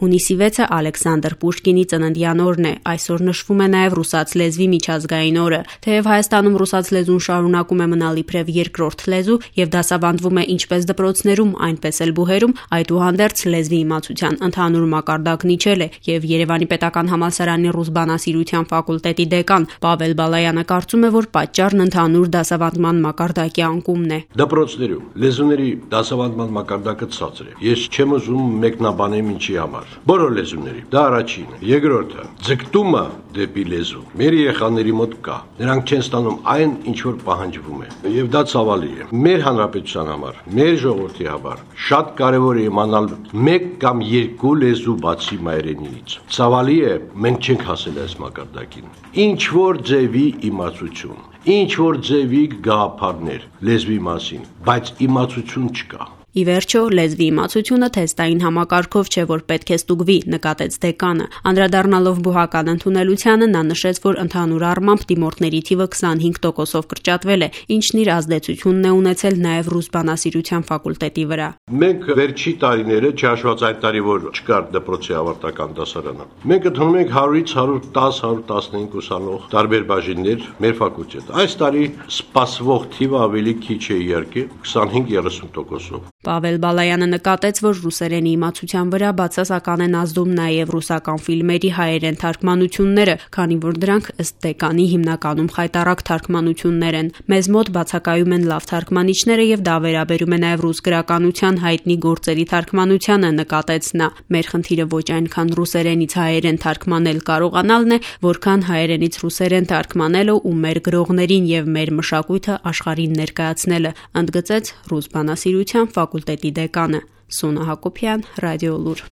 Հունիսի 6-ը Ալեքսանդր Պուշկինի ծննդյան օրն է, այսօր նշվում է նաև ռուսաց լեզվի միջազգային օրը։ Թեև Հայաստանում ռուսաց լեզուն շարունակում է մնալ իբրև երկրորդ լեզու եւ դասավանդվում է ինչպես դպրոցներում, այնպես էլ բուհերում, այդուհանդերձ լեզվի իմացության ընդհանուր մակարդակն իջել է եւ Երևանի պետական համալսարանի ռուս բանասիրության ֆակուլտետի դեկան Պավել Բալայանը կարծում է, որ պատճառն ընդհանուր դասավանդման մակարդակի անկումն է։ Դպրոցներում լեզուների դասավանդման մակարդակը ցածր է։ Ես չեմ ուզում մեկնաբանեմ ինչի համար։ Բոլոր լեզուների, դա առաջինը, երկրորդը, ձգտումը դեպի լեզու մեր երեխաների մոտ կա։ Նրանք չեն ստանում այն, ինչ որ պահանջվում է, եւ դա ցավալի է։ Մեր հանրապետության համար, մեր ժողովրդի համար շատ կարեւոր է իմանալ մեկ կամ երկու լեզու բացի մայրենիից։ Ցավալի է, մենք չենք հասել այս մակարդակին։ Ինչ որ ձևի իմացություն, ինչ որ ձևի գաղափարներ լեզվի մասին, բայց իմացություն չկա։ Ի վերջո, լեզվի իմացությունը թեստային համակարգով չէ, որ պետք է ստուգվի, նկատեց դեկանը։ Անդրադառնալով բուհական ընդունելությանը, նա նշեց, որ ընդհանուր առմամբ դիմորդների թիվը 25%-ով կրճատվել է, ինչն իր ազդեցությունն է ունեցել նաև ռուս բանասիրության ֆակուլտետի վրա։ Մենք վերջի տարիները, չհաշված այդ տարի, որ չկար դպրոցի ավարտական դասարանը, մենք ընդունում ենք 100-ից 110-115 ուսանող տարբեր բաժիններ մեր ֆակուլտետ։ Այս տարի սպասվող թիվը ավելի քիչ է իհարկե, 25-30%-ով։ Պավել Բալայանը նկատեց, որ ռուսերենի իմացության վրա բացասական են ազդում նաև ռուսական ֆիլմերի հայերեն թարգմանությունները, քանի որ դրանք ըստ դեկանի հիմնականում խայտառակ թարգմանություններ են։ Մեզ մոտ բացակայում են լավ թարգմանիչները եւ դա վերաբերում է նաև ռուս գրականության հայտնի գործերի թարգմանությանը, նկատեց նա։ Մեր խնդիրը ոչ այնքան ռուսերենից հայերեն թարգմանել կարողանալն է, որքան հայերենից ռուսերեն թարգմանելը ու մեր գրողներին եւ մեր մշակույթը աշխարհին ներկայացնելը, ընդգծեց ռուս բանասիրության ֆակուլտետի դեկանը Սոնա Հակոբյան, Ռադիոլուր։